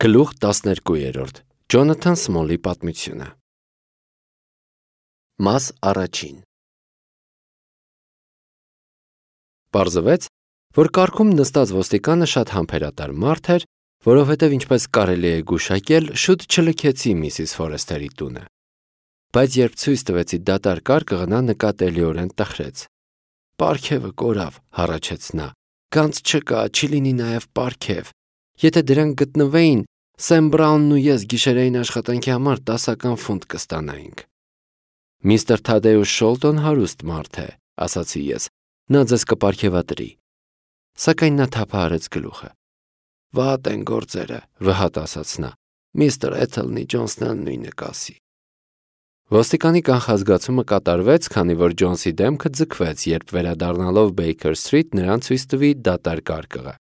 Գլուխ 12 Ջոնաթան Սմոլի պատմությունը Մաս առաջին Պարզվեց, որ կառքում նստած ոստիկանը շատ համբերատար մարդ էր, որովհետև ինչպես կարելի է գուշակել, շուտ չլքեցի Միսիս Ֆորեսթերի տունը։ Բայց երբ ցույց տվեցի դատարկ կարկը, նա նկատելիորեն տխրեց։ «Պարգևը կորավ», հառաչեց նա, «գանձ չկա, չի լինի նաև պարգև։ Եթե դրանք գտնվեին, Սեմ Բրաունն ու ես գիշերային աշխատանքի համար 10 ֆունտ կստանայինք»։ «Միստր Թադեուշ Շոլտոն հարուստ մարդ է», ասացի ես, «նա ձեզ կպարգևատրի»։ Սակայն նա թափահարեց գլուխը։ «Վատ են գործերը», վհատ ասաց նա, «Միստր Էթելնի Ջոնսն էլ նույնը կասի»։ Ոստիկանի կանխազգացումը կատարվեց, քանի որ Ջոնսի դեմքը ձգվեց, երբ վերադառնալով Բեյքեր Սթրիթ նրան ցույց տվի դատարկ կարկը։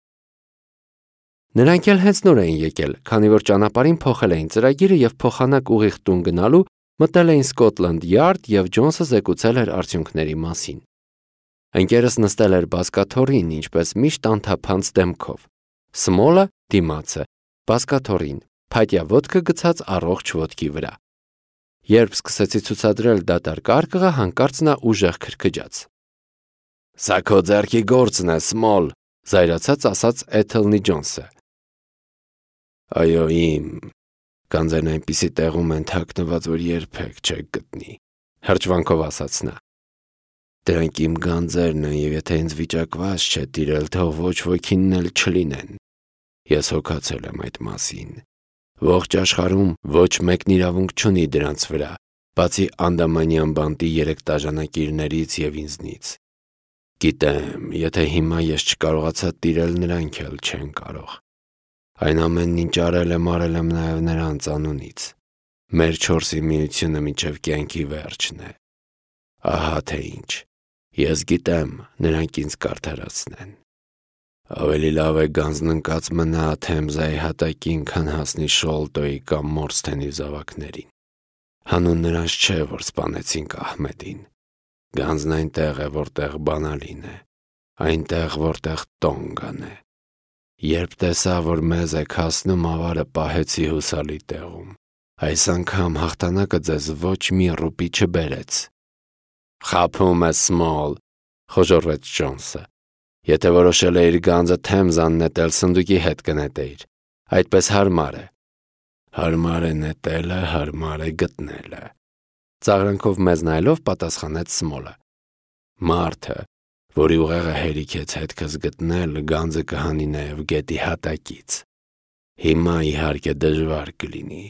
Նրանք էլ հենց նոր էին եկել, քանի որ ճանապարհին փոխել էին ծրագիրը եւ փոխանակ ուղիղ տուն գնալու մտել էին Սկոթլանդ Յարդ եւ Ջոնսը զեկուցել էր արդյունքների մասին։ Ընկերս նստել էր բազկաթոռին, ինչպես միշտ անթափանց դեմքով։ Սմոլը դիմացը, բազկաթոռին, փայտյա ոտքը գցած առողջ ոտքի վրա։ Երբ սկսեցի ցուցադրել դատարկ կարկը, հանկարծ նա ուժեղ քրքջաց։ «Սա քո ձեռքի գործն է, Սմոլ», զայրացած ասաց Էթելնի Ջոնսը։ «Այո, իմ, գանձերն այնպիսի տեղում են թաքնված, որ երբեք չեք գտնի», հրճվանքով ասաց նա։ «Դրանք իմ գանձերն են, եւ եթե ինձ վիճակված չէ տիրել, թող ոչ ոքինն էլ չլինեն։ Ես հոգացել եմ այդ մասին։ Ողջ աշխարհում ոչ մեկն իրավունք չունի դրանց վրա, բացի Անդամանյան բանտի 3 տաժանակիրներից եւ ինձնից։ Գիտեմ, եթե հիմա ես չկարողացա տիրել, նրանք էլ չեն կարող։ Այն ամենն, ինչ արել եմ նաև նրանց անունից։ Մեր 4-ի միությունը մինչև կյանքի վերջն է։ Ահա թե ինչ։ Ես գիտեմ, նրանք ինձ կարդարացնեն։ Ավելի լավ է գանձն ընկած մնա Թեմզայի հատակին, քան հասնի Շոլտոյի կամ Մորսթենի զավակներին։ Հանուն նրանց չէ, որ սպանեցինք Ահմեդին։ Գանձն այնտեղ է, որտեղ բանալին է, այնտեղ, որտեղ տոնգան է։ Երբ տեսա, որ մեզ եք հասնում, ավարը պահեցի հուսալի տեղում։ Այս անգամ հաղթանակը ձեզ ոչ մի ռուպի չբերեց։ «Խաբում ես, Սմոլ», խոժոռվեց Ջոնսը։ «Եթե որոշել էիր գանձը Թեմզան նետել, սնդուկի հետ կնետեիր։ Այդպես հարմար է»։ «Հարմար է նետելը, հարմար է գտնելը», ծաղրանքով մեզ նայելով պատասխանեց Սմոլը։ «Մարդը, որի ուղեղը հերիքեց հետքս գտնել, գանձը կհանի նաև գետի հատակից։ Հիմա իհարկե դժվար կլինի։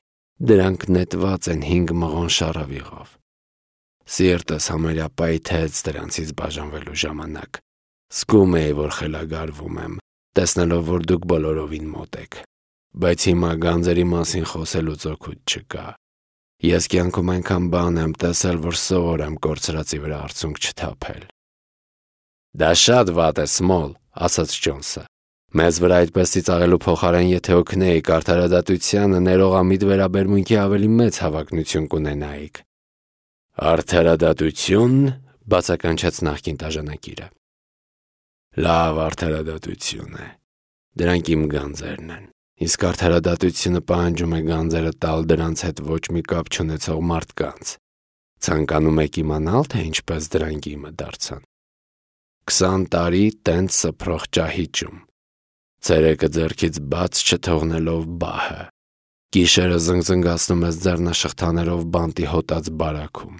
Դրանք նետված են 5 մղոն շառավիղով։ Սիրտս համարյա պայթեց դրանցից բաժանվելու ժամանակ։ Զգում էի, որ խելագարվում եմ, տեսնելով, որ դուք բոլորովին մոտ եք։ Բայց հիմա գանձերի մասին խոսելուց օգուտ չկա։ Ես կյանքում այնքան բան եմ տեսել, որ սովոր եմ կորցրածի վրա արցունք չթափել»։ «Դա շատ վատ է, Սմոլ», ասաց Ջոնսը։ «Մեզ վրա այդպես ծիծաղելու փոխարեն, եթե օգնեիք արդարադատությանը, ներողամիտ վերաբերմունքի ավելի մեծ հավակնություն կունենայիք»։ «Արդարադատություն», բացականչեց նախկին տաժանակիրը։ «Լավ արդարադատություն է։ Դրանք իմ գանձերն են։ Իսկ արդարադատությունը պահանջում է գանձերը տալ դրանց հետ ոչ մի կապ չունեցող մարդկանց։ Ցանկանում եք իմանալ, թե ինչպես դրանք իմը դարձան։ 20 տարի տենց սփռող ճահիճում։ Ցերեկը ձեռքից բաց չթողնելով բահը։ Գիշերը զնգզնգացնում ես ձեռնաշղթաներով բանտի հոտած բարաքում։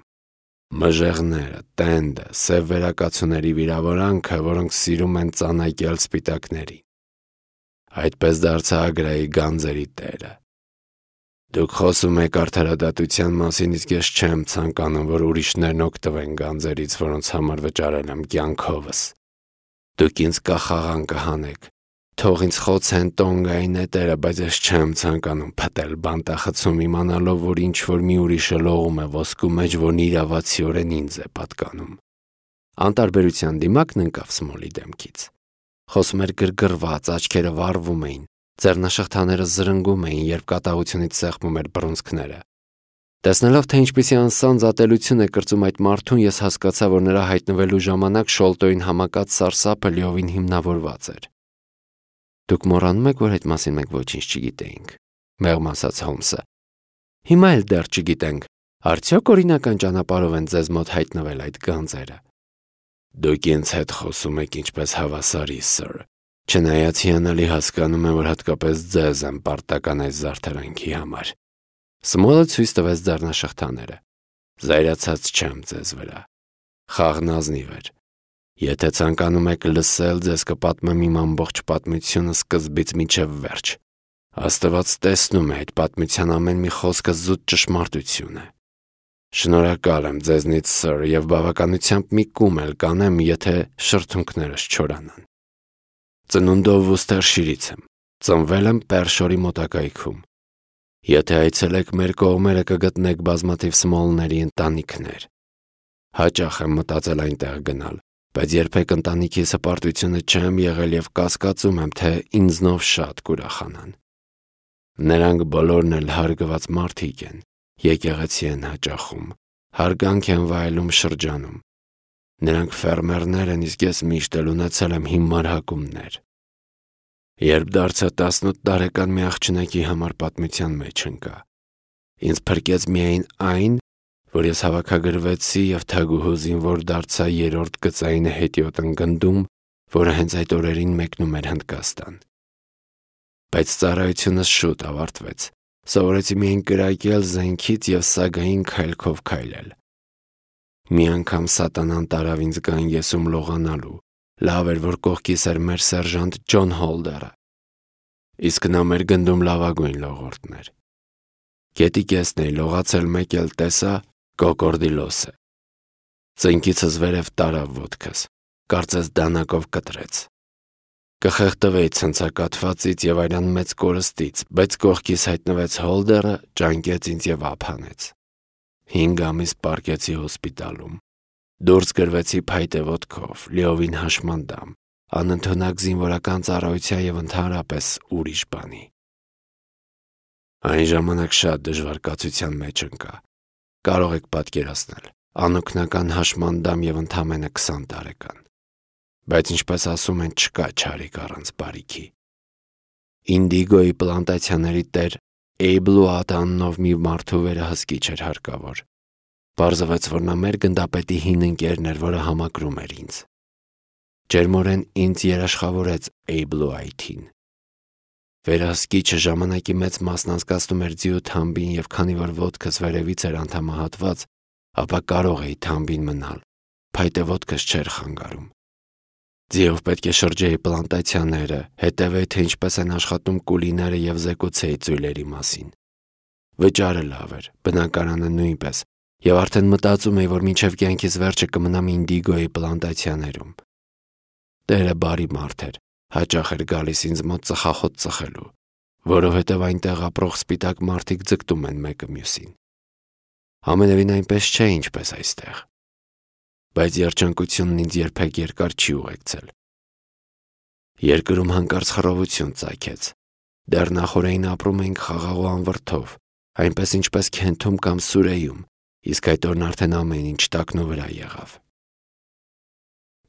Մժեղները, տենդը, սև վերակացուների վիրավորանքը, որոնք սիրում են ծանակել սպիտակներին։ Այդպես դարձա Ագրայի գանձերի տերը։ Դուք խոսում եք արդարադատության մասին, իսկ ես չեմ ցանկանում, որ ուրիշներն օգտվեն գանձերից, որոնց համար վճարել եմ կյանքովս։ Դուք ինձ կախաղան կհանեք։ Թող ինձ խոցեն տոնգայի նետերը, բայց ես չեմ ցանկանում փտել բանտախցում, իմանալով, որ ինչ-որ մի ուրիշը լողում է ոսկու մեջ, որն իրավացիորեն ինձ է պատկանում։ Անտարբերության դիմակն ընկավ Սմոլի դեմքից։ Խոսում էր գրգռված, աչքերը վառվում էին, ձեռնաշղթաները զրնգում էին, երբ կատաղությունից սեղմում էր բռունցքները։ Տեսնելով, թե ինչպիսի անսանձ ատելություն է կրծում այդ մարդուն, ես հասկացա, որ նրա հայտնվելու ժամանակ Շոլտոյին համակած սարսափը լիովին հիմնավորված էր։ Դուք մոռանում եք, որ այդ մասին մենք ոչինչ չգիտեինք։ մեղմ ասաց Հոլմսը։ Հիմա էլ դեռ չգիտենք, արդյոք օրինական ճանապարհով են ձեզ մոտ հայտնվել այդ գանձերը։ Դուք ինձ հետ խոսում եք ինչպես հավասարի, սըր։ Չնայած հիանալի հասկանում եմ, որ հատկապես ձեզ եմ պարտական այս զարդարանքի համար։ Սմոլը ցույց տվեց ձեռնաշղթաները։ Զայրացած չեմ ձեզ վրա։ Խաղն ազնիվ էր։ Եթե ցանկանում եք լսել, ձեզ կպատմեմ իմ ամբողջ պատմությունը սկզբից մինչև վերջ։ Աստված տեսնում է այդ պատմության ամեն մի խոսքը զուտ ճշմարտություն է։ Շնորհակալ եմ ձեզնից, սըր, եւ բավականությամբ մի կում էլ կանեմ, եթե շրթունքներս չորանան։ Ծնունդով Վուստերշիրից եմ։ Ծնվել եմ Պերշորի մոտակայքում։ Եթե այցելեք մեր կողմերը, կգտնեք բազմաթիվ Սմոլների ընտանիքներ։ Հաճախ եմ մտածել այնտեղ գնալ, բայց երբեք ընտանիքիս հպարտությունը չեմ եղել եւ կասկածում եմ, թե ինձնով շատ կուրախանան։ Նրանք բոլորն էլ հարգված մարդիկ են, եկեղեցի են հաճախում, հարգանք են վայելում շրջանում։ Նրանք ֆերմերներ են, իսկ ես միշտ էլ ունեցել եմ հիմար հակումներ։ Երբ դարձա 18 տարեկան, մի աղջնակի համար պատմության մեջ ընկա։ Ինձ փրկեց միայն այն, որ ես հավաքագրվեցի եւ թագուհու զինվոր դարձա 3-րդ գծային հետիոտ ընկնդում, որը հենց այդ օրերին մեկնում էր Հնդկաստան։ Բայց ծառայությունս շուտ ավարտվեց։ Սովորեցի միայն կրակել զենքից եւ սագային քայլքով քայլել։ Մի անգամ սատանան տարավ ինձ գանգեսում լողանալու։ Լավ էր, որ կողքիս էր մեր սերժանտ Ջոն Հոլդերը։ Իսկ նա մեր գնդում լավագույն լողորդն էր։ Գետի կեսն էի լողացել, մեկ էլ տեսա կոկորդիլոսը։ Ծնկիցս վերև տարավ ոտքս, կարծես դանակով կտրեց։ Կխեղդվեի ցնցակատվածից եւ այլան մեծ կորստից, բայց կողքիս հայտնվեց Հոլդերը, ճանկեց ինձ եւ ափանեց։ 5 ամիս պարկեցի հոսպիտալում։ Դուրս գրվեցի փայտե ոտքով, լիովին հաշմանդամ, անընդունակ զինվորական ծառայության եւ ընդհանրապես ուրիշ բանի։ Այն ժամանակ շատ դժվար կացության մեջ ընկա։ Կարող եք պատկերացնել, անօգնական հաշմանդամ եւ ընդամենը 20 տարեկան։ Բայց ինչպես ասում են, չկա չարիք առանց բարիքի։ Ինդիգոյի պլանտացիաների տեր Էյբլուատ անունով մի մարդու վերահսկիչ էր հարկավոր։ Պարզվեց, որ նա մեր գնդապետի հին ընկերն էր, որը համակրում էր ինձ։ Ջերմորեն ինձ երաշխավորեց Էյբլուայթին։ Վերահսկիչը ժամանակի մեծ մասն անցկացնում էր ձիու թամբին եւ քանի որ ոտքս վերևից էր անդամահատված, ապա կարող էի թամբին մնալ։ Փայտե ոտքս չէր խանգարում։ Ձիով պետք է շրջեի պլանտացիաները, հետևեի, թե ինչպես են աշխատում կուլիները եւ զեկուցեի ծույլերի մասին։ Վճարը լավ էր, բնակարանը նույնպես, եւ արդեն մտածում էի, որ մինչեւ կյանքիս վերջը կմնամ Ինդիգոյի պլանտացիաներում։ Տերը բարի մարդ էր, հաճախ էր գալիս ինձ մոտ ծխախոտ ծխելու, որովհետեւ այնտեղ ապրող սպիտակ մարդիկ ձգտում են մեկը մյուսին։ Ամենևին այնպես չէ, ինչպես այստեղ։ Բայց երջանկությունն ինձ երբեք երկար չի ուղեկցել։ Երկրում հանկարծ խռովություն ծագեց։ Դեռ նախօրեին ապրում էինք խաղաղ ու անվրդով, այնպես ինչպես Քենթում կամ Սուրեյում, իսկ այդ օրն արդեն ամեն ինչ տակնու վրա եղավ։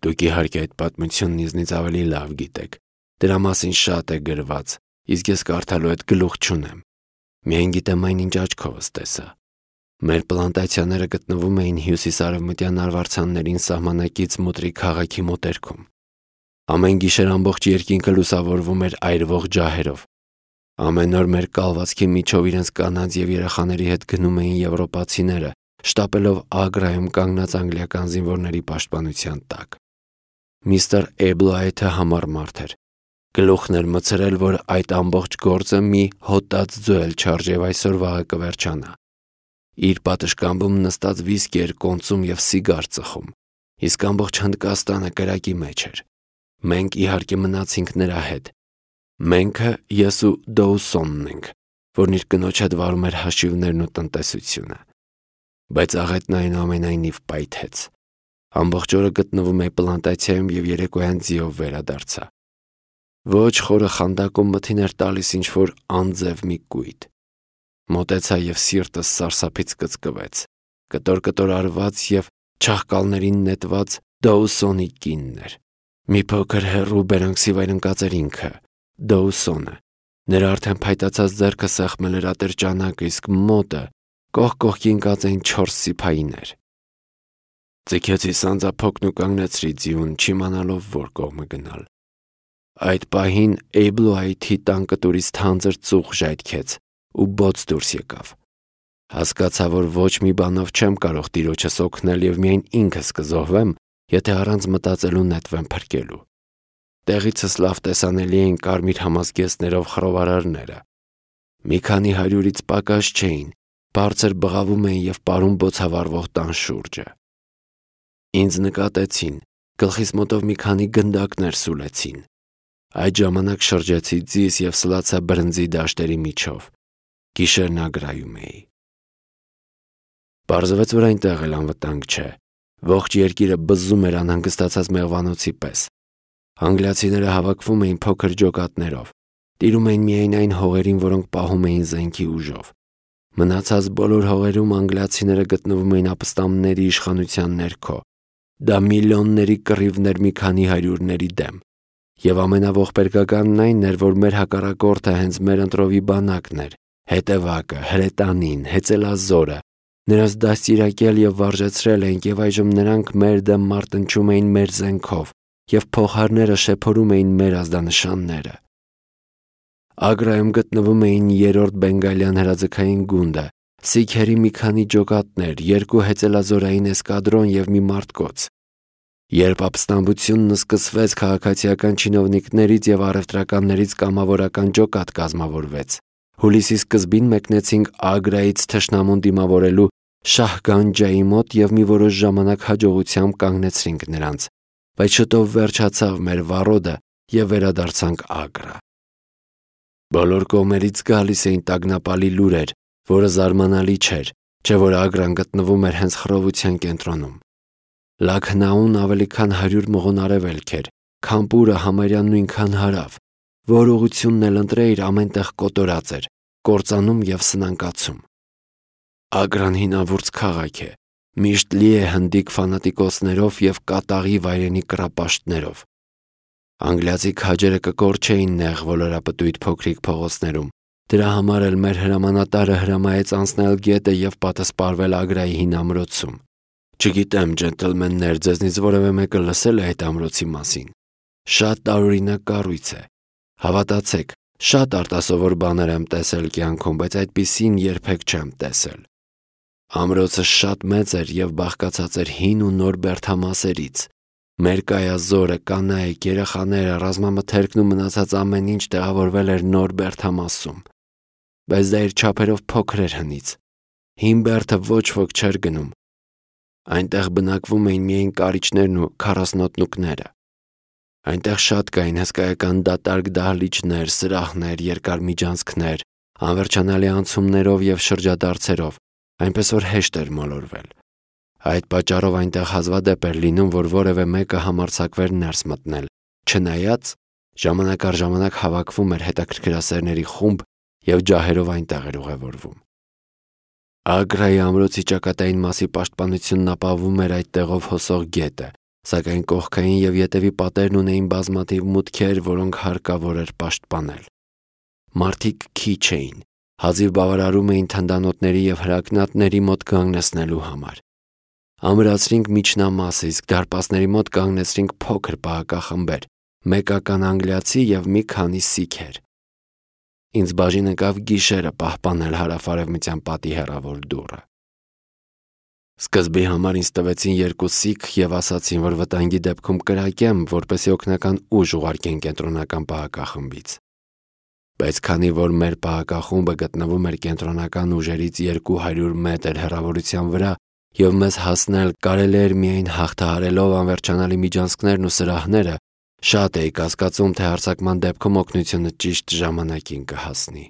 Դուք իհարկե այդ պատմությունն ինձնից ավելի լավ գիտեք։ Դրա մասին շատ է գրված, իսկ ես կարդալու այդ գլուխ չունեմ։ Միայն գիտեմ այն, ինչ աչքովս տեսա։ Մեր պլանտացիաները գտնվում էին հյուսիսարևմտյան արվարձաններին սահմանակից Մուտրի քաղաքի մոտերքում։ Ամեն գիշեր ամբողջ երկինքը լուսավորվում էր այրվող ջահերով։ Ամեն օր մեր կալվածքի միջով իրենց կանանց եւ երեխաների հետ գնում էին եվրոպացիները, շտապելով Ագրայում կանգնած անգլիական զինվորների պաշտպանության տակ։ Միստր Էյբլուայթը համառ մարդ էր։ Գլուխն էր մցրել, որ այդ ամբողջ գործը մի հոտած ձոյել չարժ եւ այսօր վաղը կվերջանա։ Իր պատշգամբում նստած վիսկի էր կոնծում եւ սիգար ծխում, իսկ ամբողջ Հնդկաստանը կրակի մեջ էր։ Մենք իհարկե մնացինք նրա հետ։ Մենք ես ու Դոուսոնն ենք, որն իր կնոջ հետ վարում էր հաշիվներն ու տնտեսությունը։ Բայց աղետն այնուամենայնիվ պայթեց։ Ամբողջ օրը գտնվում էի պլանտացիայում եւ երեկոյան ձիով վերադարձա։ Ոչ խորը խանդակում մթին էր տալիս ինչ-որ անձև մի կույտ։ Մոտեցա եւ սիրտս սարսափից կծկվեց։ Կտոր արված եւ չաղկալներին նետված Դոուսոնի կինն էր։ Մի փոքր հեռու բերանքսի վայր ընկած էր ինքը, Դոուսոնը, Նրա արդեն փայտացած ձեռքը սեղմել էր ատրճանակը, իսկ մոտը կողք կողքին կած էին 4 սիփայիներ։ Ձգեցի սանձափոկն ու կանգնեցրի ձիուն, չիմանալով որ կողմը գնալ։ Այդ պահին Էյբլոայթի տան կտուրից թանձր ծուխ ժայթքեց ու բոց դուրս եկավ։ Հասկացա, որ ոչ մի բանով չեմ կարող տիրոջս օգնել եւ միայն ինքս կզոհվեմ, եթե առանց մտածելու նետվեմ փրկելու։ Տեղիցս լավ տեսանելի էին կարմիր համազգեստներով խռովարարները։ Մի քանի 100-ից պակաս չէին, բարձր բղավում էին եւ պարում բոցավառվող տան շուրջը։ Ինձ նկատեցին, գլխիս մոտով մի քանի գնդակներ սուլեցին։ Այդ ժամանակ շրջեցի ձիս եւ սլացա բրնձի դաշտերի միջով։ Գիշերն ագրայում էի։ Պարզվեց, որ այնտեղ էլ անվտանգ չէ։ Ողջ երկիրը բզում էր անհանգստացած մեղվանոցի պես։ Անգլիացիները հավաքվում էին փոքր ջոկատներով, տիրում էին միայն այն հողերին, որոնք պահում էին զենքի ուժով։ Մնացած բոլոր հողերում անգլիացիները գտնվում էին ապստամբների իշխանության ներքո։ Դա միլիոնների կռիվներ մի քանի 100-ների դեմ։ Եվ ամենաողբերգականն այն էր, որ մեր հակառակորդը հենց մեր ընտրովի բանակն էր, հետևակը, հրետանին, հեծելազորը։ Նրանց դաստիարակել եւ վարժեցրել էինք եւ այժմ նրանք մեր դեմ մարտնչում էին մեր զենքով եւ փողահարները շեփորում էին մեր ազդանշանները։ Ագրայում գտնվում էին 3-րդ բենգալյան հրաձգային գունդը, սիքերի մի քանի ջոկատներ, 2 հեծելազորային էսկադրոն եւ մի մարտկոց։ Երբ ապստամբությունն սկսվեց, քաղաքացիական չինովնիկներից եւ առևտրականներից կամավորական ջոկատ կազմավորվեց։ Հուլիսի սկզբին մեկնեցինք Ագրայից թշնամուն դիմավորելու Շահգանջայի մոտ եւ մի որոշ ժամանակ հաջողությամբ կանգնեցրինք նրանց, բայց շուտով վերջացավ մեր վառոդը եւ վերադարձանք Ագրա։ Բոլոր կողմերից գալիս էին տագնապալի լուրեր, որը զարմանալի չէր, չէ որ Ագրան գտնվում էր հենց խռովության կենտրոնում։ Լաքնաուն ավելի քան 100 մղոն արևելք էր, Քանպուրը համարյա նույնքան հարավ, որ ուղությունն էլ ընտրեիր ամենտեղ կոտորած էր, կործանում եւ սնանկացում։ Ագրան հինավուրց քաղաք է, միշտ լի է հնդիկ ֆանատիկոսներով եւ կատաղի վայրենի կռապաշտներով։ Անգլիացի քաջերը կկորչեին նեղ ոլորապտույտ փոքրիկ փողոցներում։ Դրա համար էլ մեր հրամանատարը հրամայեց անցնել գետը եւ պատասպարվել Ագրայի հին ամրոցում։ Չգիտեմ, ջենտլմեններ, ձեզնից որևէ մեկը լսել է այդ ամրոցի մասին։ Շատ տարօրինակ կառույց է։ Հավատացեք, շատ արտասովոր բաներ եմ տեսել կյանքում, բայց այդպիսին երբեք չեմ տեսել։ Ամրոցը շատ մեծ էր եւ բաղկացած էր հին ու նոր բերդամասերից։ Մեր կայազորը, կանայք, երեխաները, ռազմամթերքն ու մնացած ամեն ինչ տեղավորվել էր նոր բերդամասում։ Բայց դա իր չափերով փոքր էր հնից։ Հին բերդը ոչ ոք չէր գնում։ Այնտեղ բնակվում էին միայն կարիճներն ու քառասնոտնուկները։ Այնտեղ շատ կային հսկայական դատարկ դահլիճներ, սրահներ, երկար միջանցքներ, անվերջանալի անցումներով եւ շրջադարձերով, այնպես որ հեշտ էր մոլորվել։ Այդ պատճառով այնտեղ հազվադեպ էր լինում, որ որևէ մեկը համարձակվեր ներս մտնել, չնայած ժամանակ առ ժամանակ հավաքվում էր հետաքրքրասերների խումբ եւ ջահերով այնտեղ էր ուղևորվում։ Ագրայի ամրոցի ճակատային մասի պաշտպանությունն ապահովում էր այդ տեղով հոսող գետը, սակայն կողքային եւ ետևի պատերն ունեին բազմաթիվ մուտքեր, որոնք հարկավոր էր պաշտպանել։ Մարդիկ քիչ էին, հազիվ բավարարում էին թնդանոթների եւ հրակնատների մոտ կանգնեցնելու համար։ Ամրացրինք միջնամասը, իսկ դարպասների մոտ կանգնեցրինք փոքր պահակախմբեր, մեկական անգլիացի եւ մի քանի սիքեր։ Ինձ բաժին ընկավ գիշերը պահպանել հարավ-արևմտյան պատի հեռավոր դուռը։ Սկզբի համար ինձ տվեցին 2 սիք եւ ասացին, որ վտանգի դեպքում կրակեմ, որպեսզի օգնական ուժ ուղարկեն կենտրոնական պահակախմբից։ Բայց քանի որ մեր պահակախումբը գտնվում էր կենտրոնական ուժերից 200 մետր հեռավորության վրա եւ մեզ հասնել կարելի էր միայն հաղթահարելով անվերջանալի միջանցքներն ու սրահները, շատ էի կասկածում, թե հարձակման դեպքում օգնությունը ճիշտ ժամանակին կհասնի։